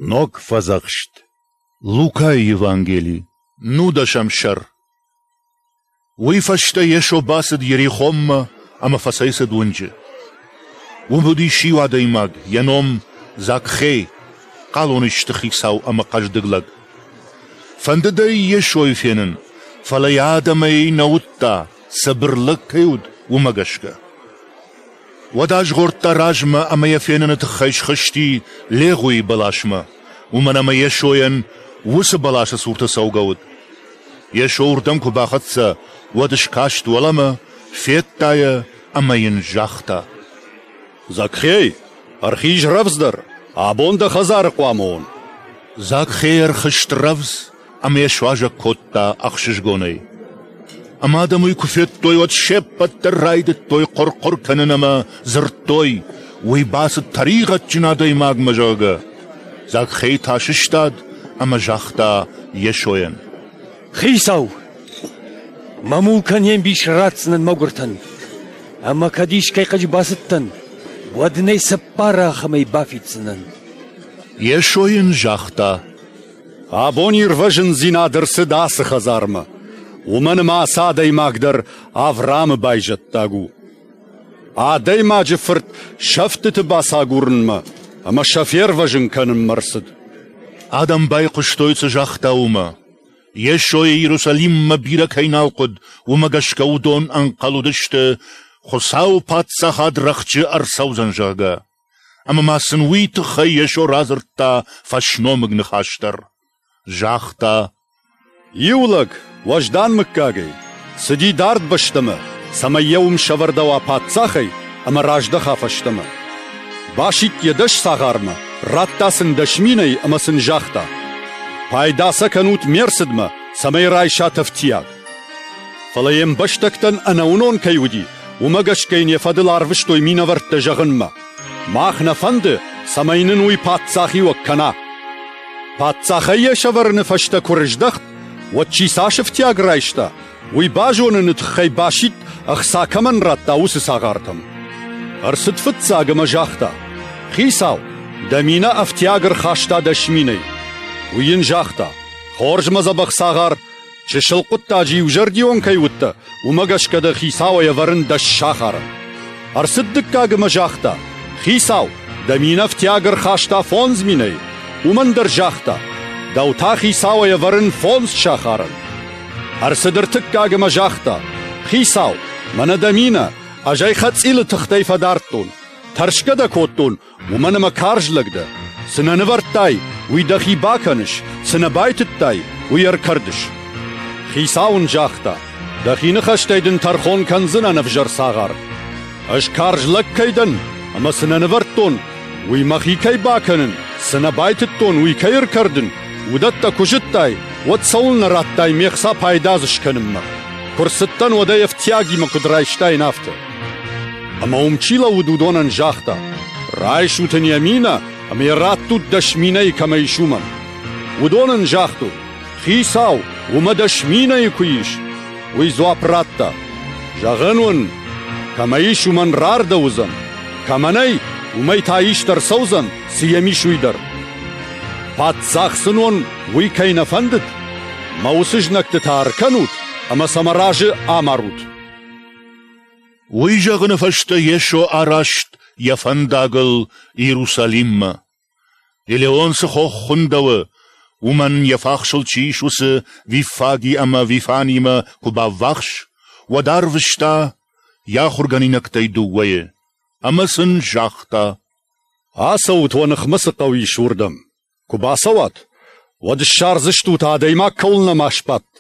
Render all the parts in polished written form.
Ног Фӕдзӕхст. Лукайы Евангели, нудӕсӕм сӕр. Уый фӕстӕ Йесо бацыд Йерихонмӕ ӕмӕ фӕцӕйцыд уынджы. Уым уыдис иу адӕймаг, йӕ ном Закхей, хъалонисты хицау ӕмӕ хъӕздыг лӕг. Фӕндыд ӕй Йесойы фенын, фӕлӕ йӕ адӕмӕй нӕ уыдта, цыбыр лӕг кӕй уыд, уымӕ гӕсгӕ. Уӕд азгъордта размӕ ӕмӕ йӕ феныны тыххӕй схызти легъуийы бӕласмӕ, уымӕн ӕмӕ Йесойӕн уыцы бӕласы цурты цӕугӕ уыд. Йесо уырдӕм куы бахӕццӕ, уӕд скаст уӕлӕмӕ, федта йӕ ӕмӕ йын загъта: Закхей, ӕрхиз рӕвдздӕр, абон дӕ хӕдзары хъуамӕ уон. Закхей ӕрхызт рӕвдз ӕмӕ йӕ суазӕг кодта ӕхсызгонӕй. Ӕмӕ адӕм уый куы федтой, уӕд се ппӕт дӕр райдыдтой хъуыр-хъуыр кӕнын ӕмӕ дзырдтой, уый бацыд тӕригъӕдджын адӕймагмӕ, зӕгъгӕ. Закхей та сыстад ӕмӕ загъта Йесойӕн: Хицау, мӕ мулкӕн йе мбис ратдзынӕн мӕгуыртӕн, ӕмӕ кӕд искӕй хъыджы бацыдтӕн, уӕд ын ӕй цыппар ахӕмӕй бафиддзынӕн. Йесо йын загъта: Абон ирвӕзындзинад ӕрцыд ацы хӕдзармӕ, уымӕн ӕмӕ ацы адӕймаг дӕр Авраамы байзӕддаг у. Адӕймаджы фырт сӕфтыты бацагурынмӕ ӕмӕ сӕ фервӕзын кӕнынмӕ ӕрцыд. Адӕм байхъуыстой, цы загъта, уымӕ. Йесойы Иерусалиммӕ бирӕ кӕй нал хъуыд, уымӕ гӕсгӕ уыдон ӕнхъӕл уыдысты, Хуыцауы Паддзахад рӕхджы ӕрцӕудзӕн, зӕгъгӕ. Ӕмӕ ма сын уый тыххӕй Йесо радзырдта фӕсномыг ныхас дӕр. Загъта: Иу лӕг, уӕздан мыггагӕй, цыди дард бӕстӕмӕ, цӕмӕй йӕ уым сӕвӕрдӕуа паддзахӕй ӕмӕ раздӕха фӕстӕмӕ. Басидт йӕ дӕс цагъармӕ, радта сын 10 000-ӕй ӕмӕ сын загъта: «Пайда сӕ кӕнут ме рцыдмӕ, цӕмӕй райсат ӕфтиаг». Фӕлӕ йе мбӕстӕгтӕн ӕнӕуынон кӕй уыди, уымӕ гӕсгӕ йын йӕ фӕдыл арвыстой минӕвӕрттӕ зӕгъынмӕ: «Мах нӕ фӕнды, цӕмӕй нын уый паддзахиуӕг кӕна». Паддзахӕй йӕ сӕвӕрыны фӕстӕ куы рыздӕхт, уӕд чи цас ӕфтиаг райста, уый базоныны тыххӕй басидт, ӕхца кӕмӕн радта, уыцы цагъартӕм. Ӕрцыд фыццаг ӕмӕ загъта: «Хицау, дӕ минӕ ӕфтиаг ӕрхаста 10 000-ӕй». Уый йын загъта: «Хорз, мӕ дзӕбӕх цагъар, Чысыл хъуыддаджы иузӕрдион кӕй уыдтӕ, уымӕ гӕсгӕ дӕ хицауӕй ӕвӕрын дӕ сахары. Ӕрцыд дыккаг ӕмӕ загъта: «Хицау, дӕ минӕфтиаг ӕрхаста 5000-ӕй». Уымӕн дӕр загъта: «Дӕу та хицауӕй ӕвӕрын фондз сахарӕн». Ӕрцыд ӕртыккаг ӕмӕ загъта: «Хицау, мӕнӕ дӕ минӕ, ӕз ӕй хӕцъилы тыхтӕй фӕдардтон. Тӕрсгӕ дӕ кодтон, уымӕн ӕмӕ карз лӕг дӕ. Цы нӕ нывӕрдтай, уый дӕхи бакӕныс, цы нӕ байтыдтай, уый ӕркӕрдыс. Хицау ын загъта: Дӕхи ныхӕстӕй дын тӕрхон кӕндзынӕн ӕвзӕр цагъар. Ӕз карз лӕг кӕй дӕн, ӕмӕ цы нӕ нывӕрдтон, уый мӕхи кӕй бакӕнын, цы нӕ байтыдтон, уый кӕй ӕркӕрдын, уыдӕттӕ куы зыдтай, уӕд цӕуылнӕ радтай ме хца пайда дзы скӕнынмӕ? Куы рцыдтӕн, уӕд ӕй ӕфтиагимӕ куыд райстаин, афтӕ. Ӕмӕ уым чи лӕууыд, уыдонӕн загъта: «Райсут ын йӕ минӕ ӕмӕ йӕ раттут 10 000-ы кӕмӕ ис, уымӕн». Уыдон ын загътой: «Хицау, уымӕ 10 000-ы куы ис!» Уый дзуапп радта: «Зӕгъын уын, кӕмӕ ис, уымӕн рардӕуыдзӕн, кӕмӕ нӕй, уымӕй та ист ӕрцӕудзӕн, цы йӕм ис, уый дӕр. Паддзах сын уон, уый кӕй нӕ фӕндыд, мӕ уыцы знӕгты та ӕркӕнут ӕмӕ сӕ мӕ разы амарут». Уый зӕгъыны фӕстӕ Йесо араст йӕ фӕндагыл Иерусалиммӕ. Елеон цы хох хуындӕуы, уымӕн йӕ фахсыл чи ис, уыцы Виффаги ӕмӕ Вифанимӕ куы баввахс, уӕд арвыста йӕ ахуыргӕнинӕгтӕй дыууӕйы ӕмӕ сын загъта: Ацӕут, уӕ ныхмӕ цы хъӕу ис, уырдӕм. Куы бацӕуат, уӕд ссардзыстут, адӕймаг кӕуыл нӕма сбадт,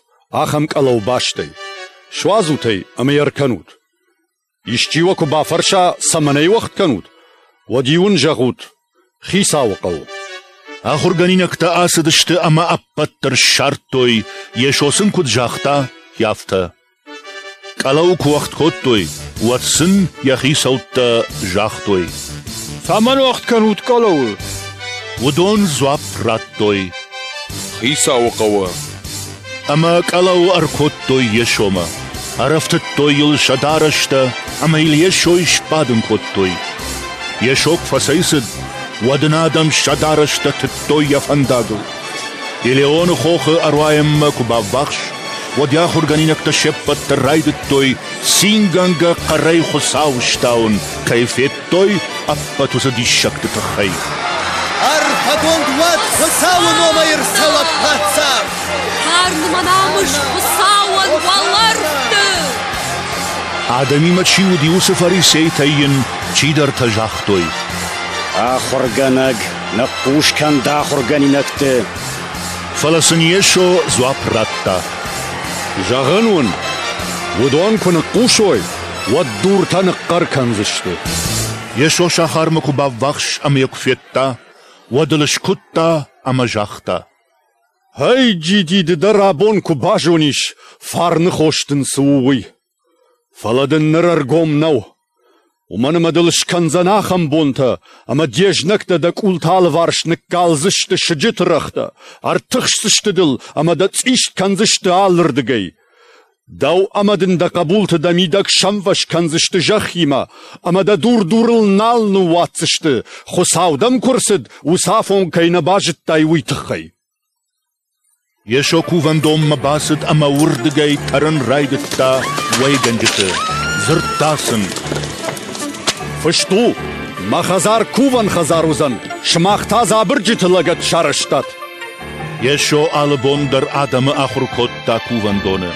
ахӕм къӕлӕу бастӕй. Суадзут ӕй ӕмӕ йӕ ӕркӕнут. Исчи уӕ куы бафӕрса, цӕмӕн ӕй уӕгъд кӕнут, уӕд-иу ын зӕгъут: Хицауы хъӕуы. Ахуыргӕнинӕгтӕ ацыдысты ӕмӕ ӕппӕт дӕр ссардтой, Йесо сын куыд загъта, афтӕ. Къӕлӕу куы уӕгъд кодтой, уӕд сын йӕ хицӕуттӕ загътой: Цӕмӕн уӕгъд кӕнут къӕлӕуы? Уыдон дзуапп радтой: Хицауы хъӕуы. Ӕмӕ къӕлӕу ӕркодтой Йесомӕ. Ӕрӕфтыдтой йыл сӕ дарӕстӕ ӕмӕ йыл Йесойы сбадын кодтой. Йесо куы фӕцӕйцыд, уӕд ын адӕм сӕ дарӕстӕ тыдтой йӕ фӕндагыл. Елеоны хохы ӕруайӕнмӕ куы баввахс, уӕд йӕ ахуыргӕнинӕгтӕ се ппӕт дӕр райдыдтой цингӕнгӕ хъӕрӕй Хуыцауы стауын, кӕй федтой, ӕппӕт уыцы диссӕгты тыххӕй. Арфӕгонд уӕд Хуыцауы номӕй ӕрцӕуӕг паддзах! Фарн мӕ намыс Хуыцауӕн уӕлӕрвты! Адӕмимӕ чи уыди, уыцы фарисейтӕй йын чидӕртӕ загътой: Ахуыргӕнӕг, ныхъхъус кӕн дӕ ахуыргӕнинӕгты. Фӕлӕ сын Йесо дзуапп радта: Зӕгъын уын, уыдон куы ныхъхъусой, уӕд дуртӕ ныхъхъӕр кӕндзысты. Йесо сахармӕ куы баввахс ӕмӕ йӕ куы федта, уӕд ыл скуыдта ӕмӕ загъта: Ӕй, Джиди, ды дӕр абон куы базонис, фарны хос дын цы у, уый. Фӕлӕ дын ныр ӕргом нӕу. Уымӕн ӕмӕ дыл скӕндзӕн ахӕм бонтӕ, ӕмӕ де знӕгтӕ дӕ къулты алыварс ныккалдзысты сыджыты рӕгътӕ, ӕртыхсдзысты дыл ӕмӕ дӕ цъист кӕндзысты алырдыгӕй. Дӕу ӕмӕ дын дӕ хъӕбулты дӕ мидӕг сӕмвӕз кӕндзысты зӕххимӕ, ӕмӕ дӕ дур-дурыл нал ныууадздзысты, Хуыцау дӕм куы рцыд, уыцы афон кӕй нӕ базыдтай, уый тыххӕй. Йесо кувӕндонмӕ бацыд ӕмӕ уырдыгӕй тӕрын райдыдта уӕйгӕнджыты. Дзырдта сын: Фыст у, мӕ хӕдзар кувӕн хӕдзар уыдзӕн, сымах та дзабырджыты лӕгӕт сарӕзтат. Йесо алы бон дӕр адӕмы ахуыр кодта кувӕндоны.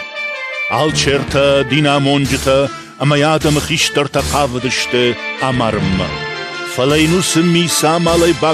Алчертӕ, динамонджытӕ ӕмӕ йӕ адӕмы хистӕртӕ хъавыдысты амарынмӕ. Фӕлӕ йын уыцы ми цы амалӕй бакодта,